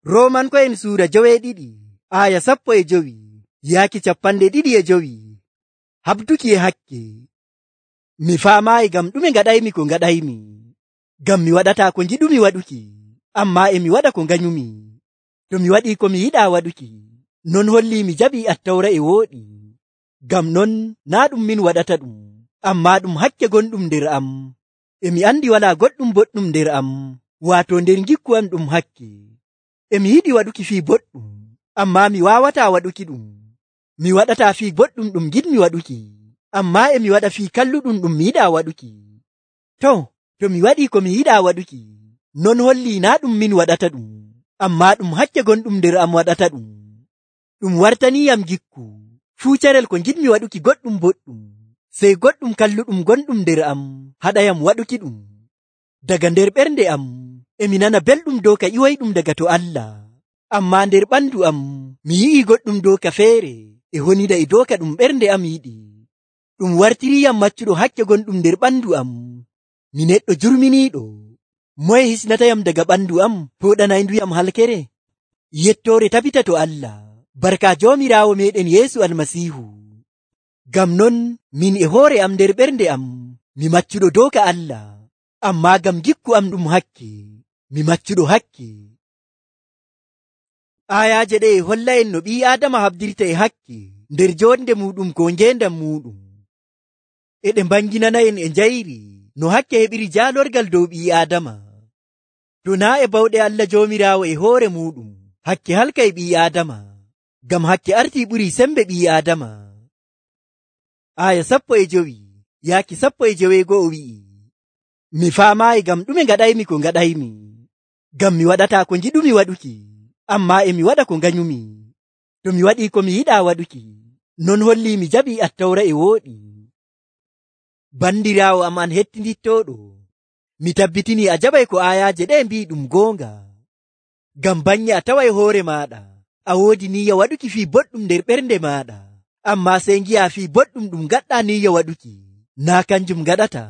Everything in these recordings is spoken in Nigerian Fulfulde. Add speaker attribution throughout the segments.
Speaker 1: Roomanko'en suura 12 aya 15 yaaki 25. Habduki e hakke. Mi faamaayi ngam ɗume ngaɗaymi ko ngaɗaymi. Ngam mi waɗataa ko ngiɗumi waɗuki, ammaa e mi waɗa ko nganyumi. To mi waɗii ko mi yiɗaa waɗuki, non hollii mi jaɓii Attawra e wooɗi. Ngam non naa ɗum min waɗata ɗum, ammaa ɗum hakke gonɗum nder am. E mi andi walaa goɗɗum boɗɗum nder am, waato nder ngikku am ɗum hakke. E mi yiɗi waɗuki fii boɗɗum, ammaa mi waawataa waɗuki ɗum. Mi waɗataa fii boɗɗum ɗum giɗmi waɗuki, ammaa e mi waɗa fii kalluɗum ɗum mi yiɗaa waɗuki. To mi waɗii ko mi yiɗaa waɗuki, non hollii naa ɗum min waɗata ɗum, ammaa ɗum hakke gonɗum nder am waɗata ɗum. Ɗum wartaniiyam gikku, fuu carel ko ngiɗmi waɗuki goɗɗum boɗɗum, sey goɗɗum kalluɗum gonɗum nder am haɗayam waɗuki ɗum. Daga nder ɓernde am e mi nana belɗum dooka ƴiwoyɗum daga to Allah, ammaa nder ɓandu am mi yi'ii goɗɗum dooka feere e honida e dooka ɗum ɓernde am yiɗi. Ɗum wartiriiyam maccuɗo hakke gonɗum nder ɓandu am. Mi neɗɗo jurminiiɗo. Moye hisnatayam daga ɓandu am fooɗanayduyam halkere? Yettoore tabita to Allah, barka Joomiraawo meɗen Yeesu Almasiihu. Ngam non min e hoore am nder ɓernde am mi maccuɗo dooka Allah, ammaa ngam gikku am ɗum hakke, mi maccuɗo hakke. Ayaaje ɗe e holla'en no ɓii Aadama habdirta e hakke nder jonde muɗum ko ngeendam muɗum. E ɗe mbanginana'en e njayri no hakke heɓiri jaalorgal dow ɓii Aadama. To naa e bawɗe Allah Joomiraawo e hoore muɗum, hakke halkay ɓii Aadama, ngam hakke artii ɓurii sembe ɓii Aadama. Aya 15 yaaki 15 wi'i, mi faamaayi ngam ɗume ngaɗaymi ko ngaɗaymi. Ngam mi waɗataa ko ngiɗumi waɗuki, ammaa e mi waɗa ko nganyumi. To mi waɗii ko mi yiɗaa waɗuki, non hollii mi jaɓii Attawra e wooɗi. Bandiraawo am an hettindittooɗo, mi tabbitinii a jaɓay ko ayaaje ɗe mbii ɗum goonga. Ngam bannye a taway hoore maaɗa a woodi niyya waɗuki fii boɗɗum nder ɓernde maaɗa, ammaa sey ngi'aa fii boɗɗum ɗum ngaɗɗaa niyya waɗuki naa kanjum ngaɗata.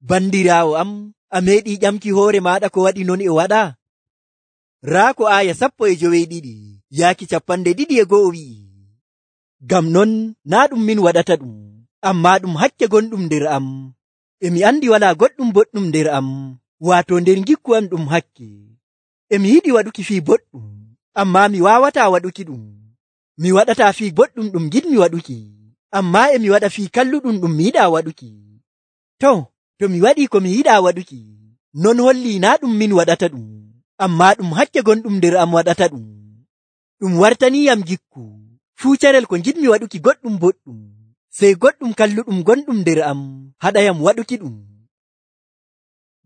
Speaker 1: Bandiraawo am, a meeɗii ƴamki hoore maaɗa ko waɗi non e waɗa? Raa ko aya 12 yaaki 21 wi'i, ngam non naa ɗum min waɗata ɗum, ammaa ɗum hakke gonɗum nder am. E mi andi walaa goɗɗum boɗɗum nder am, waato nder ngikku am ɗum hakke. E mi yiɗi waɗuki fii boɗɗum, ammaa mi waawataa waɗuki ɗum. Mi waɗataa fii boɗɗum ɗum giɗmi waɗuki, ammaa e mi waɗa fii kalluɗum ɗum mi yiɗaa waɗuki. To mi waɗii ko mi yiɗaa waɗuki, non hollii naa ɗum min waɗata ɗum, ammaa ɗum hakke gonɗum nder am waɗata ɗum. Ɗum wartaniiyam gikku, fuu carel ko ngiɗmi waɗuki goɗɗum boɗɗum, sey goɗɗum kalluɗum gonɗum nder am haɗayam waɗuki ɗum.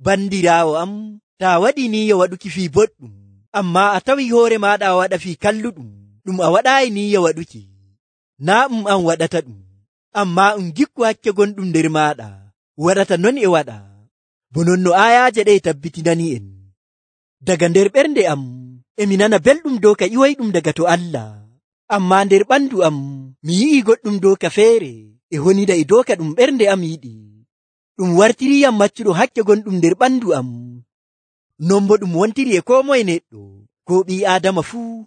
Speaker 1: Bandiraawo am, taa waɗii niyya waɗuki fii boɗɗum, ammaa a tawii hoore maaɗa a waɗa fii kalluɗum ɗum a waɗaayi niyya waɗuki, naa an waɗata ɗum, ammaa gikku hakke gonɗum nder maaɗa waɗata non e waɗa. Bo non no ayaaje ɗe tabbitinani'en. Daga nder ɓernde am e mi nana belɗum dooka ƴiwoyɗum daga to Allah, ammaa nder ɓandu am mi yi'ii goɗɗum dooka feere e honida e dooka ɗum ɓernde am yiɗi. Ɗum wartiriiyam maccuɗo hakke gonɗum nder ɓandu am. Non bo ɗum wontiri e koo moye neɗɗo, ko ɓii Aadama fuu.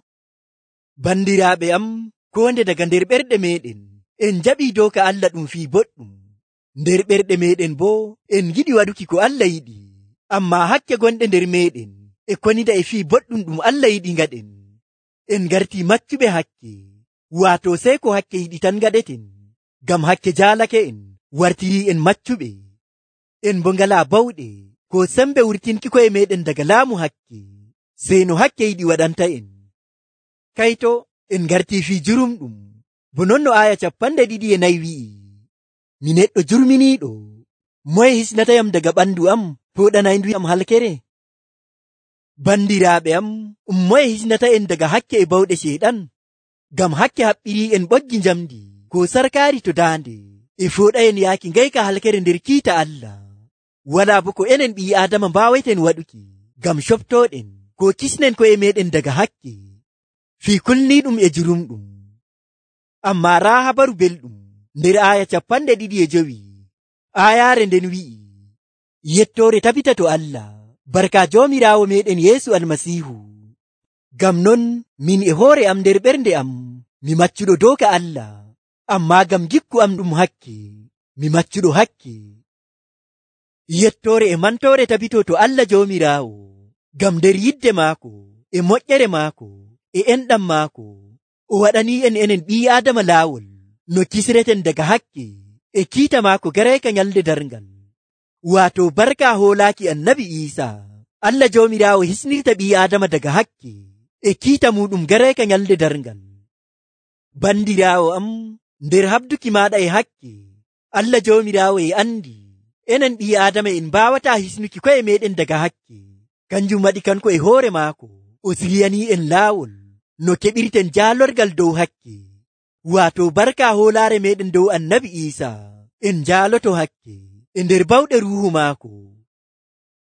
Speaker 1: Bandiraaɓe am, ko nde daga nder ɓerɗe meɗen en jaɓii dooka Allah ɗum fii boɗɗum. Nder ɓerɗe meɗen boo en giɗi waɗuki ko Allah yiɗi, ammaa hakke gonɗe nder meɗen e konida e fii boɗɗum ɗum Allah yiɗi ngaɗen. En ngartii maccuɓe hakke, waato sey ko hakke yiɗi tan ngaɗeten. Ngam hakke jaalake en wartirii en maccuɓe. En bo ngalaa bawɗe ko sembe wurtinki koye meɗen daga laamu hakke, sey no hakke yiɗi waɗanta en. Kayto en ngartii fii jurumɗum, bo non no aya 24 wi'i, mi neɗɗo jurminiiɗo, moye hisnatayam daga ɓandu am fooɗanayduyam halkere? Bandiraaɓe am, moye hisnata en daga hakke e bawɗe Ceyɗan? Ngam hakke haɓɓirii en ɓoggi njamdi ko sarkaari to daande, e fooɗayen yaaki ngayka halkere nder kiita Allah. Walaa bo ko enen ɓii Aadama mbaaweten waɗuki, ngam coftooɗen ko kisnen ko'e meɗen daga hakke, fii kulniiɗum e jurumɗum. Ammaa raa habaru belɗum nder aya 25, ayaare nden wi'i, yettoore tabita to Allah, barka Joomiraawo meɗen Yeesu Almasiihu. Ngam non min e hoore am nder ɓernde am mi maccuɗo doka Allah, ammaa ngam gikku am ɗum hakke mi maccuɗo hakke. Yettoore e mantoore tabito to Allah Joomiraawo, ngam nder yidde maako e moƴƴere maako e enɗam maako o waɗanii enen ɓii Aadama laawol no kisreten daga hakke e kiita maako garayka nyalde darngal. Waato barka hoolaaki Annabi Iisaa, Allah Joomiraawo hisnirta ɓii Aadama daga hakke e kiita muɗum garayka nyalde darngal. Bandiraawo am, nder habduki maaɗa e hakke, Allah Joomiraawo e andi enen ɓii Aadama en mbaawataa hisnuki ko'e meɗen daga hakke. Kanjum waɗi kanko e hoore maako o siryanii en laawol no keɓirten jaalorgal dow hakke. Waato barka hoolaare meɗen dow Annabi Iisaa en jaaloto hakke e nder bawɗe ruuhu maako.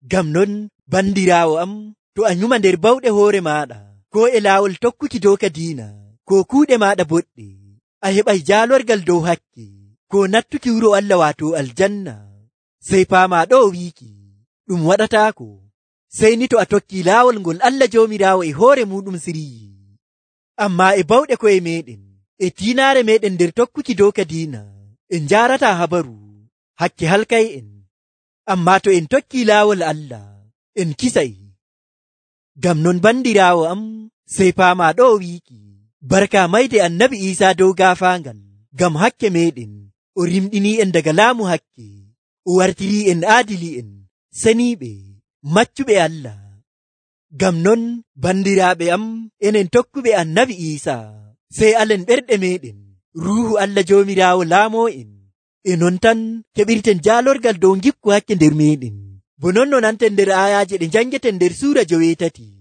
Speaker 1: Ngam non bandiraawo am, to a nyuma nder bawɗe hoore maaɗa ko e laawol tokkuki doka diina ko kuuɗe maaɗa boɗɗe, a heɓay jaalorgal dow hakke ko nattuki wuro Allah waato aljanna. Sey paama ɗo wiiki ɗum waɗataako sey ni to a tokki laawol ngol Allah Joomiraawo e hoore muɗum siryi. Ammaa e bawɗe koye meɗen e tiinaare meɗen nder tokkuki doka diina en njaarataa habaru hakke halkay en. Ammaa to en tokki laawol Allah en kisay. Ngam non bandiraawo am, sey paama ɗo wiiki barka mayde Annabi Iisaa dow gaafaangal ngam hakke meɗen o rimɗinii en daga laamu hakke o wartirii en aadili'en seniiɓe maccuɓe Allah. Ngam non bandiraaɓe am, enen tokkuɓe Annabi Iisaa sey alen ɓerɗe meɗen ruuhu Allah Joomiraawo laamoo en, e non tan keɓirten jaalorgal dow gikku hakke nder meɗen. Bo non no nanten nder aayaaje ɗe njangeten nder suura 8.